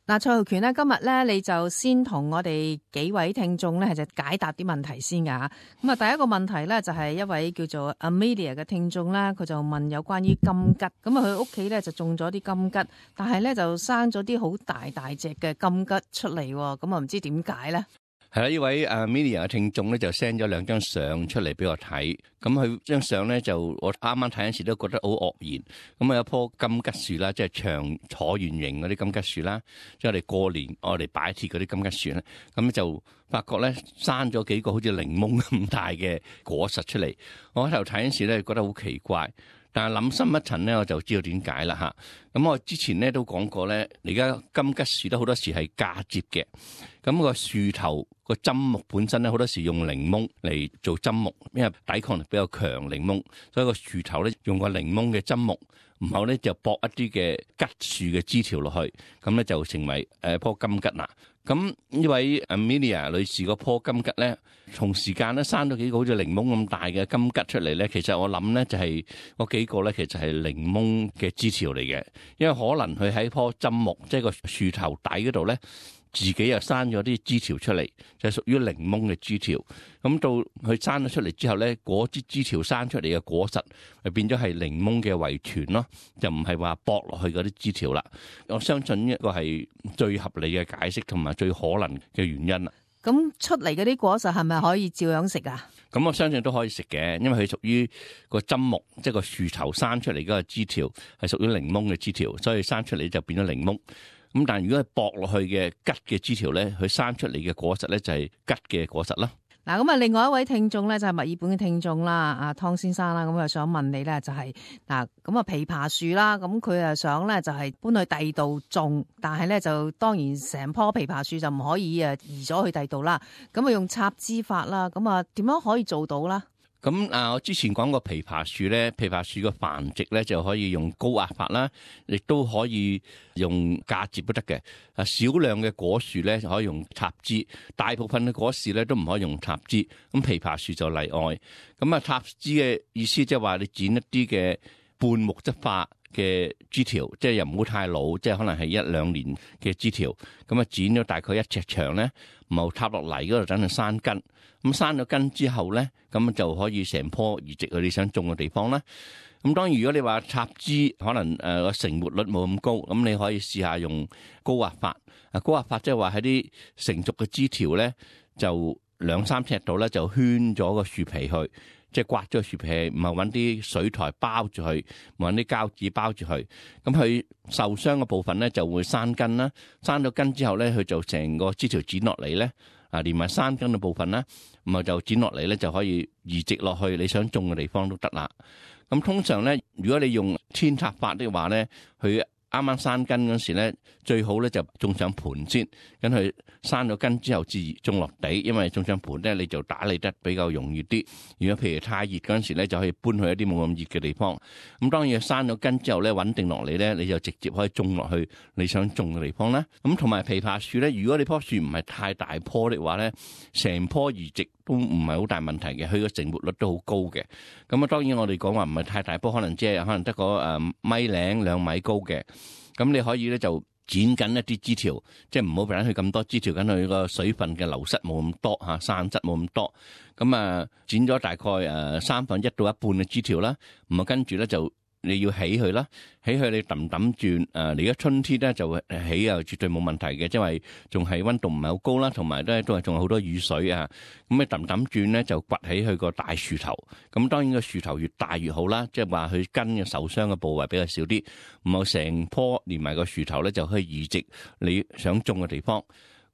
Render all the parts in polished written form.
嗱，蔡浩權咧，今日咧你就先同我哋幾位聽眾咧係就解答啲問題先㗎吓。咁啊，第一個問題咧就係一位叫做 Amelia 嘅聽眾啦，佢就問有關於金桔。咁啊，佢屋企咧就種咗啲金桔，但係咧就生咗啲好大隻嘅金桔出嚟，咁啊唔知點解咧？係啦，呢位 Amelia 嘅聽眾咧就 send 咗兩張相出嚟俾我睇，咁佢張相咧就我啱啱睇嗰時都覺得好愕然。咁啊有棵金桔樹啦，即係長橢圓形嗰啲金桔樹啦，即係我哋過年我哋擺設嗰啲金桔樹咧，咁就發覺咧生咗幾個好似檸檬咁大嘅果實出嚟。我喺頭睇嗰時咧覺得好奇怪。但係諗深一層咧，我就知道點解啦嚇。咁我之前咧都講過咧，而家金桔樹都好多時係嫁接嘅。咁個樹頭個針木本身咧，好多時用檸檬嚟做針木，因為抵抗力比較強檸檬，所以個樹頭咧用個檸檬嘅針木，然後咧就駁一啲嘅桔樹嘅枝條落去，咁咧就成為棵金桔啦。咁呢位 Amelia 女士嗰棵金桔咧，同時間咧生咗幾個好似檸檬咁大嘅金桔出嚟咧，其實我諗咧就係嗰幾個咧，其實係檸檬嘅枝條嚟嘅，因為可能佢喺棵針木，即係個樹頭底嗰度咧，自己又生咗啲枝條出嚟，就係屬於檸檬嘅枝條。咁到佢生咗出嚟之後咧，嗰支枝條生出嚟嘅果實，就變咗係檸檬嘅遺傳咯，就唔係話駁落去嗰啲枝條啦。我相信呢一個係最合理嘅解釋同埋最可能嘅原因啦。咁出嚟嗰啲果實係咪可以照樣食啊？咁我相信都可以食嘅，因為佢屬於個針木，即係個樹頭生出嚟嗰個枝條係屬於檸檬嘅枝條，所以生出嚟就變咗檸檬。咁但係如果係駁落去嘅桔嘅枝條咧，佢生出嚟嘅果實咧就係桔嘅果實啦。嗱，咁啊，另外一位聽眾咧就係墨爾本嘅聽眾啦，阿湯先生啦，咁啊想問你咧就係嗱，咁啊枇杷樹啦，咁佢啊想咧就係搬去第二度種，但係咧就當然成棵枇杷樹就唔可以移咗去第二度啦，咁啊用插枝法啦，咁啊點樣可以做到啦？咁我之前講過枇杷樹咧，枇杷樹嘅繁殖咧就可以用高壓法啦，亦都可以用嫁接都得嘅。少量嘅果樹咧可以用插枝，大部分嘅果樹咧都唔可以用插枝。咁枇杷樹就例外。咁啊插枝嘅意思即係話你剪一啲嘅半木質化嘅枝條，即係又唔好太老，即係可能係1-2年嘅枝條。咁啊剪咗大概1尺長咧，然後插落泥嗰度等佢生根。咁生咗根之後咧，咁就可以成棵移植去你想種嘅地方啦。咁當然如果你話插枝可能個成活率冇咁高，咁你可以試下用高壓法。高壓法即係話喺啲成熟嘅枝條咧，就2-3尺度咧就圈咗個樹皮去，即係刮咗個樹皮，唔係揾啲水苔包住佢，揾啲膠紙包住佢。咁佢受傷嘅部分咧就會生根啦。生咗根之後咧，佢就成個枝條剪落嚟咧。連埋生根嘅部分啦，咁啊就剪落嚟咧，就可以移植落去你想種嘅地方都得啦。咁通常咧，如果你用扦插法的話咧，佢啱啱生根嗰時咧，最好咧就種上盤先，咁佢生咗根之後至種落地，因為種上盤咧你就打理得比較容易啲。如果譬如太熱嗰陣時咧，就可以搬去一啲冇咁熱嘅地方。咁當然生咗根之後咧，穩定落嚟咧，你就直接可以種落去你想種嘅地方啦。咁同埋枇杷樹咧，如果你棵樹唔係太大棵的話咧，成棵移植都唔係好大問題嘅，佢個成活率都好高嘅。咁啊，當然我哋講話唔係太大棵，可能即係可能得個1.2-2米高嘅。咁你可以咧就剪緊一啲枝條，即係唔好俾佢咁多枝條，緊佢個水分嘅流失冇咁多嚇，散質冇咁多。咁啊，剪咗大概1/3到一半嘅枝條啦，咁啊跟住咧就你要起佢啦，起佢你揼轉你而家春天咧就起啊，絕對冇問題嘅，因為仲係溫度唔係好高啦，同埋咧都係仲有好多雨水啊。咁你揼轉咧就掘起佢個大樹頭，咁當然個樹頭越大越好啦，即係話佢根嘅受傷嘅部位比較少啲，唔好成棵連埋個樹頭咧就可以移植你想種嘅地方。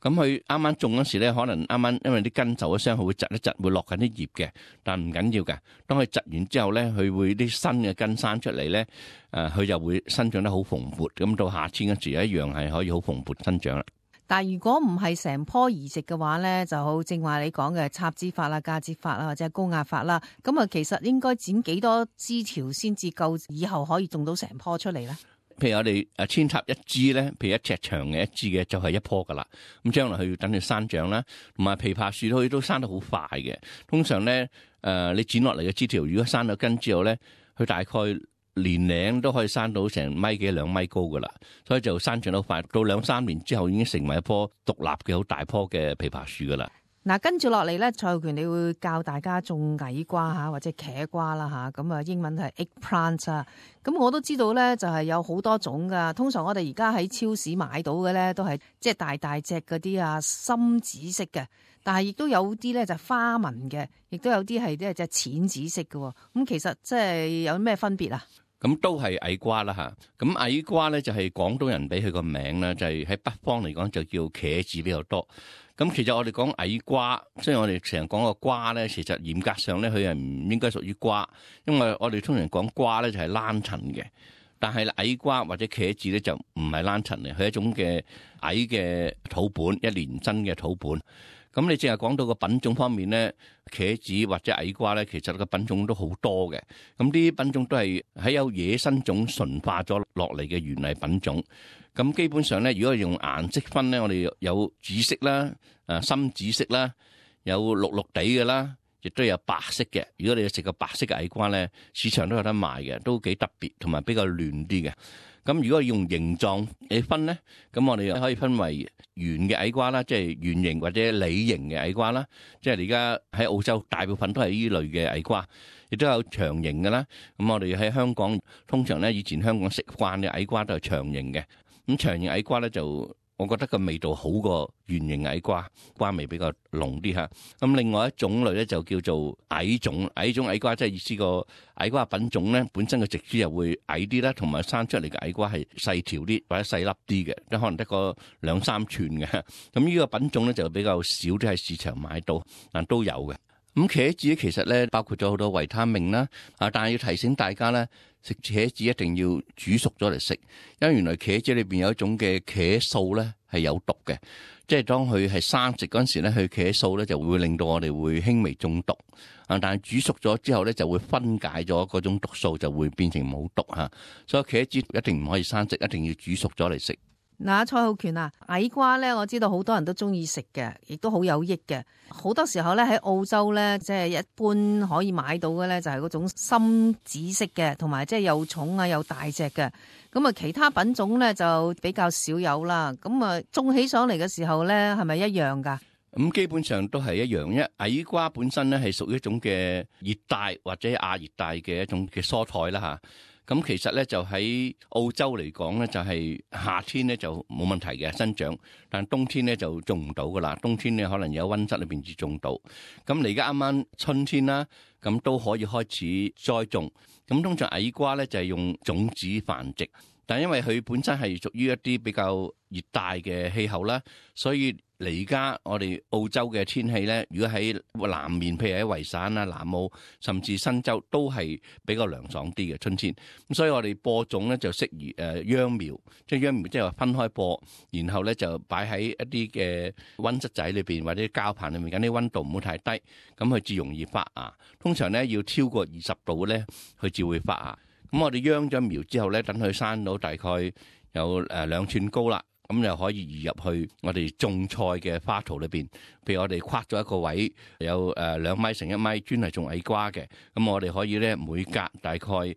咁佢啱啱種嗰時咧，可能啱啱因為啲根受咗傷，佢會窒一窒，會落緊啲葉嘅，但唔緊要嘅。當佢窒完之後咧，佢會啲新嘅根生出嚟咧，佢就會生長得好蓬勃。咁到夏天嗰時一樣係可以好蓬勃生長啦。但係如果唔係成棵移植嘅話咧，就好正話你講嘅插枝法啦、嫁接法啦，或者係高壓法啦。咁啊，其實應該剪幾多枝條先至夠，以後可以種到成棵出嚟咧？譬如我哋扦插一枝咧，譬如1尺長嘅一枝嘅就係一棵噶啦。咁將來佢要等佢生長啦，同埋枇杷樹佢都生得好快嘅。通常咧，你剪落嚟嘅枝條，如果生咗根之後咧，佢大概年齡都可以生到成米幾2米高噶啦，所以就生長得快，到2-3年之後已經成為一棵獨立嘅好大棵嘅枇杷樹噶啦。嗱，跟住落嚟咧，蔡浩權你會教大家種矮瓜嚇，或者茄瓜啦嚇，咁啊英文係 eggplant 啊。咁我都知道咧，就係有好多種噶。通常我哋而家喺超市買到嘅咧，都係即係大大隻嗰啲啊，深紫色嘅。但係亦都有啲咧就花紋嘅，亦都有啲係即係淺紫色嘅。咁其實即係有咩分別啊？咁都係矮瓜啦嚇。咁矮瓜咧就係廣東人俾佢個名啦，就係喺北方嚟講就叫茄子比較多。咁其實我哋講矮瓜，即係我哋成日講個瓜咧，其實嚴格上咧佢係唔應該屬於瓜，因為我哋通常講瓜咧就係欄陳嘅，但係矮瓜或者茄子咧就唔係欄陳嚟，佢係一種嘅矮嘅土本，一年生嘅土本。咁你淨係講到個品種方面咧，茄子或者矮瓜咧，其實個品種都好多嘅。咁啲品種都係喺有野生種馴化咗落嚟嘅原嚟品種。咁基本上咧，如果係用顏色分咧，我哋有紫色啦、深紫色啦，有綠綠地嘅啦，亦都有白色嘅。如果你食個白色嘅矮瓜咧，市場都有得賣嘅，都幾特別，同埋比較嫩啲嘅。咁如果用形狀嚟分咧，咁我哋可以分為圓嘅矮瓜啦，即係圓形或者梨形嘅矮瓜啦。即係而家喺澳洲大部分都係呢類嘅矮瓜，亦都有長形嘅啦。咁我哋喺香港通常咧，以前香港食慣嘅矮瓜都係長形嘅。咁長形矮瓜咧就，我覺得個味道好過圓形矮瓜，瓜味比較濃啲嚇。咁另外一種類咧就叫做矮種矮瓜，即係意思個矮瓜品種咧本身嘅植株又會矮啲啦，同埋生出嚟嘅矮瓜係細條啲或者細粒啲嘅，即可能得個2-3寸嘅。咁呢個品種咧就比較少啲喺市場買到，但都有嘅。咁茄子其實咧包括咗好多維他命啦，但係要提醒大家咧，食茄子一定要煮熟咗嚟食，因為原來茄子裏邊有一種嘅茄素咧係有毒嘅，即係當佢係生食嗰陣時咧，佢茄素咧就會令到我哋會輕微中毒，但係煮熟咗之後咧就會分解咗嗰種毒素，就會變成冇毒嚇，所以茄子一定唔可以生食，一定要煮熟咗嚟食。嗱，蔡浩權啊，矮瓜咧，我知道好多人都中意食嘅，亦都好有益嘅。好多時候咧喺澳洲咧，即係一般可以買到嘅咧，就係嗰種深紫色嘅，同埋即係又重啊又大隻嘅。咁啊，其他品種咧就比較少有啦。咁啊，種起上嚟嘅時候咧，係咪一樣噶？咁基本上都係一樣，因為矮瓜本身咧係屬於一種嘅熱帶或者亞熱帶嘅一種嘅蔬菜啦嚇。咁其實咧就喺澳洲嚟講咧，就係夏天咧就冇問題嘅生長，但冬天咧就種唔到噶啦。冬天咧可能有溫室裏邊至種到。咁你而家啱啱春天啦，咁都可以開始栽種。咁通常矮瓜咧就係用種子繁殖，但因為佢本身係屬於一啲比較熱帶嘅氣候啦，所以嚟而家我哋澳洲嘅天氣咧，如果喺南面，譬如喺維省啊、南澳甚至新州，都係比較涼爽啲嘅春天。咁所以我哋播種咧就適宜秧苗，即係秧苗即係話分開播，然後咧就擺喺一啲嘅溫室仔裏邊或者膠棚裏面，緊啲溫度唔好太低，咁佢至容易發芽。通常咧要超過20度咧，佢至會發芽。咁我哋秧咗苗之後咧，等佢生到大概有2寸高啦。咁又可以移入去我哋種菜嘅花槽裏邊，譬如我哋框咗一個位，有2米乘1米，專係種矮瓜嘅。咁我哋可以咧每隔大概10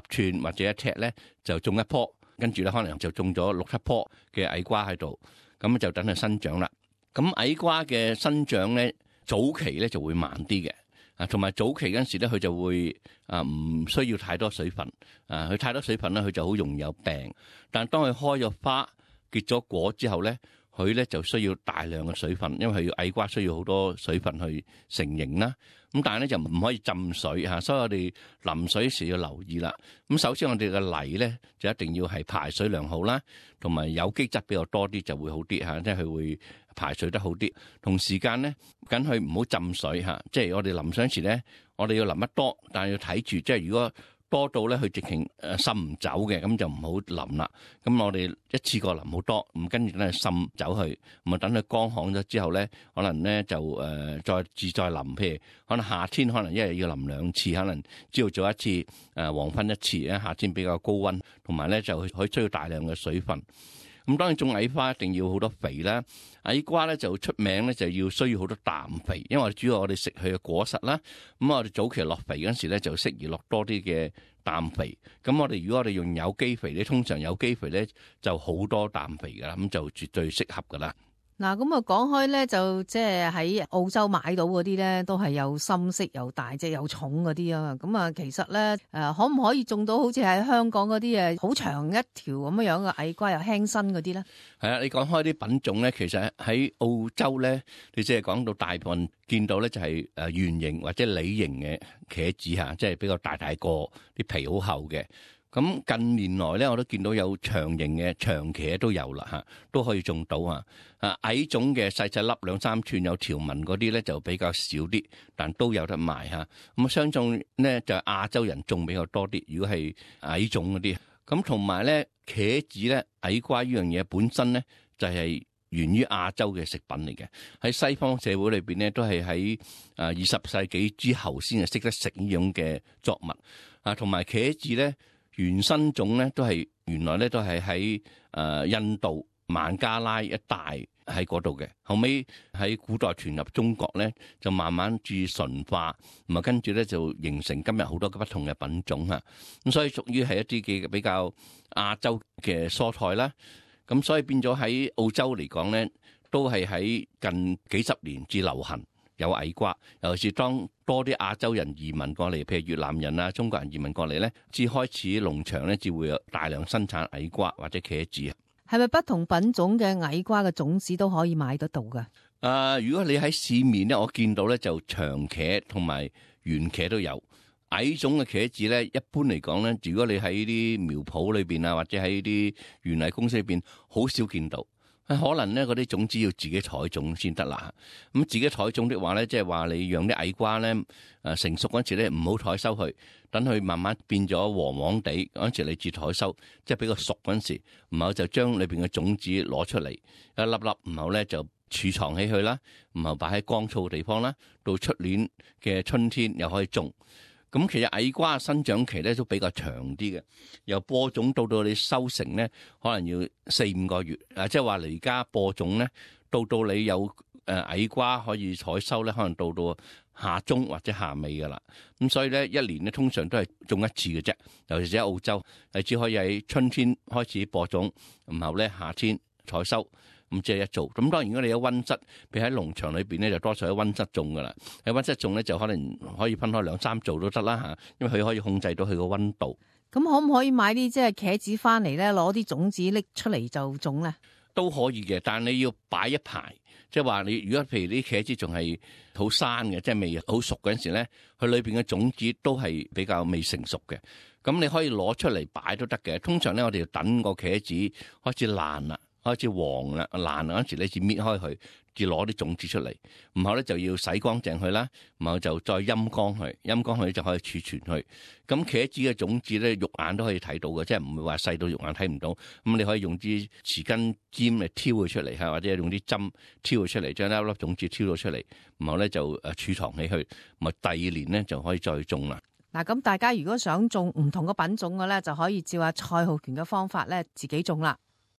寸或者1尺咧，就種一棵，跟住咧可能就種咗6-7棵嘅矮瓜喺度，咁就等佢生長啦。咁矮瓜嘅生長咧，早期咧就會慢啲嘅，同埋早期嗰陣時咧，佢就會唔需要太多水分，佢太多水分咧，佢就好容易有病。但係當佢開咗花，結咗果之後咧，佢咧就需要大量嘅水分，因為佢矮瓜需要好多水分去成形啦。咁但係咧就唔可以浸水嚇，所以我哋淋水時要留意啦。咁首先我哋嘅泥咧就一定要係排水良好啦，同埋有機質比較多啲就會好啲嚇，即係佢會排水得好啲。同時間咧，緊佢唔好浸水嚇，即係我哋淋水時咧，我哋要淋得多，但係要睇住，即係如果多到咧，佢直情滲唔走嘅，咁就唔好淋啦。咁我哋一次過淋好多，咁跟住咧滲走去，咁啊等佢乾旱咗之後咧，可能咧就再淋。譬如可能夏天可能一日要淋2次，可能朝早一次，黃昏一次。夏天比較高溫，同埋咧就可以需要大量嘅水分。咁當然種矮瓜一定要好多肥啦，矮瓜咧就出名咧就要需要好多氮肥，因為主要我哋食佢嘅果實啦。咁我哋早期落肥嗰陣時咧就適宜落多啲嘅氮肥。咁如果我哋用有機肥咧，通常有機肥咧就好多氮肥噶啦，咁就絕對適合噶啦。嗱，咁啊講開咧，就即係喺澳洲買到嗰啲咧，都係又深色又大隻又重嗰啲啊。咁啊，其實咧可唔可以種到好似喺香港嗰啲好長一條咁樣嘅矮瓜又輕身嗰啲咧？係啊，你講開啲品種咧，其實喺澳洲咧，你即係講到大部分見到咧就係圓形或者梨形嘅茄子嚇，即係比較大個，啲皮好厚嘅。咁近年來咧，我都見到有長形嘅長茄都有啦嚇，都可以種到啊。矮種嘅細細粒2-3寸有條紋嗰啲咧就比較少啲，但都有得賣嚇。咁相信咧就亞洲人種比較多啲。如果係矮種嗰啲，咁同埋咧茄子咧矮瓜呢樣嘢本身咧就係源於亞洲嘅食品嚟嘅。喺西方社會裏邊咧都係喺20世紀之後先係識得食呢種嘅作物啊。同埋茄子咧原生種咧都係原來咧都係喺印度孟加拉一帶喺嗰度嘅，後尾喺古代傳入中國咧就慢慢注純化，咁啊跟住咧就形成今日好多不同嘅品種嚇。咁所以屬於係一啲嘅比較亞洲嘅蔬菜啦。咁所以變咗喺澳洲嚟講咧，都係喺近幾十年至流行有矮瓜，尤其是當多啲亞洲人移民過嚟，譬如越南人啊、中國人移民過嚟咧，至開始農場咧至會有大量生產矮瓜或者茄子啊。係咪不同品種嘅矮瓜嘅種子都可以買得到㗎？如果你喺市面咧，我見到咧就長茄同埋圓茄都有。矮種嘅茄子咧，一般嚟講咧，如果你喺啲苗圃裏邊啊，或者喺啲園藝公司裏邊，好少見到。可能咧嗰啲種子要自己採種先得啦。咁自己採種的話咧，即係話你養啲矮瓜咧，成熟嗰陣時咧唔好採收佢，等佢慢慢變咗黃黃地嗰陣時，你至採收，即係比較熟嗰陣時，然後就將裏邊嘅種子攞出嚟一粒粒，然後咧就儲藏起去啦，然後擺喺乾燥嘅地方啦，到出年嘅春天又可以種。咁其實矮瓜生長期咧都比較長啲嘅，由播種到你收成咧，可能要4-5個月。即係話你而家播種咧，到你有矮瓜可以採收咧，可能到夏中或者夏尾噶啦。咁所以咧，一年咧通常都係種一次嘅啫。尤其是喺澳洲，係只可以喺春天開始播種，然後咧夏天採收。咁即係一做，咁當然如果你有溫室，譬如喺農場裏邊咧，就多數喺溫室種噶啦。喺溫室種咧，就可能可以分開2-3做都得啦嚇，因為佢可以控制到佢個溫度。咁可唔可以買啲即係茄子翻嚟咧，攞啲種子拎出嚟就種咧？都可以嘅，但係你要擺一排，即係話你如果譬如啲茄子仲係好生嘅，即係未好熟嗰陣時咧，佢裏邊嘅種子都係比較未成熟嘅。咁你可以攞出嚟擺都得嘅。通常咧，我哋要等個茄子開始爛啦。開始黃啦、爛啦嗰陣時，你至搣開佢，至攞啲種子出嚟，然後咧就要洗乾淨佢啦，然後就再陰乾佢，陰乾佢就可以儲存佢。咁茄子嘅種子咧，肉眼都可以睇到嘅，即係唔會話細到肉眼睇唔到。咁你可以用啲匙羹尖嚟挑佢出嚟嚇，或者用啲針挑佢出嚟，將一粒種子挑到出嚟，然後咧就儲藏起去，咪第2年咧就可以再種啦。嗱，咁大家如果想種唔同嘅品種嘅咧，就可以照下蔡浩權嘅方法咧，自己種啦。